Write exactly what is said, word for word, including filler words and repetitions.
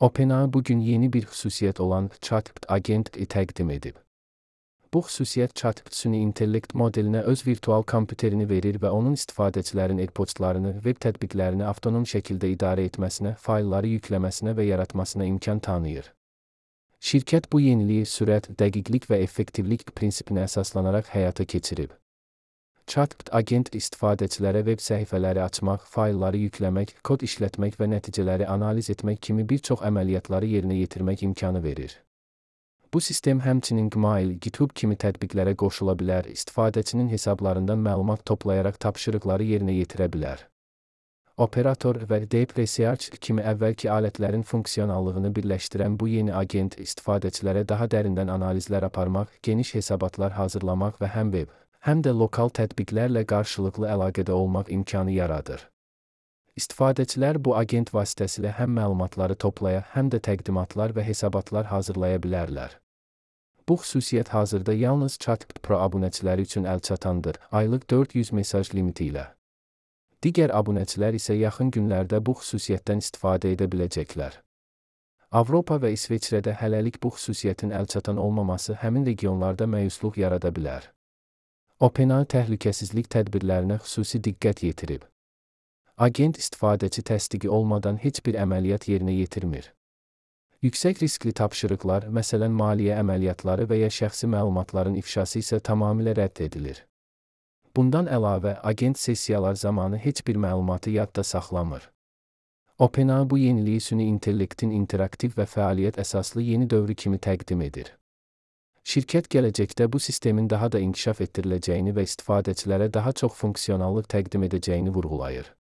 OpenAI bugün yeni bir xüsusiyyət olan ChatGPT agenti təqdim edib. Bu xüsusiyyət ChatGPT süni intellekt modelinə öz virtual kompüterini verir və onun istifadəçilərin e-postlarını, web tətbiqlərini avtonom şəkildə idarə etməsinə, faylları yükləməsinə və yaratmasına imkan tanıyır. Şirkət bu yeniliyi sürət, dəqiqlik və effektivlik prinsipinə əsaslanaraq həyata keçirib. ChatGPT agent istifadəçilərə web səhifələri açmaq, faylları yükləmək, kod işlətmək və nəticələri analiz etmək kimi bir çox əməliyyatları yerinə yetirmək imkanı verir. Bu sistem həmçinin Gmail, GitHub kimi tətbiqlərə qoşula bilər, istifadəçinin hesablarından məlumat toplayaraq tapşırıqları yerinə yetirə bilər. Operator və Deep Research kimi əvvəlki alətlərin funksionallığını birləşdirən bu yeni agent istifadəçilərə daha dərindən analizlər aparmaq, geniş hesabatlar hazırlamaq və həm web, həm də lokal tətbiqlərlə qarşılıqlı əlaqədə olmaq imkanı yaradır. İstifadəçilər bu agent vasitəsilə həm məlumatları toplaya, həm də təqdimatlar və hesabatlar hazırlaya bilərlər. Bu xüsusiyyət hazırda yalnız ChatGPT Pro abunəçiləri üçün əlçatandır, aylıq dörd yüz mesaj limiti ilə. Digər abunəçilər isə yaxın günlərdə bu xüsusiyyətdən istifadə edə biləcəklər. Avropa və İsveçrədə hələlik bu xüsusiyyətin əlçatan olmaması həmin regionlarda məyusluq yarada bilər. OpenAI təhlükəsizlik tədbirlərinə xüsusi diqqət yetirib. Agent istifadəçi təsdiqi olmadan heç bir əməliyyat yerinə yetirmir. Yüksək riskli tapşırıqlar, məsələn maliyyə əməliyyatları və ya şəxsi məlumatların ifşası isə tamamilə rədd edilir. Bundan əlavə, agent sessiyalar zamanı heç bir məlumatı yadda saxlamır. OpenAI bu yeniliyi süni intellektin interaktiv və fəaliyyət əsaslı yeni dövrü kimi təqdim edir. Şirkət gələcəkdə bu sistemin daha da inkişaf etdiriləcəyini və istifadəçilərə daha çox funksionallıq təqdim edəcəyini vurğulayır.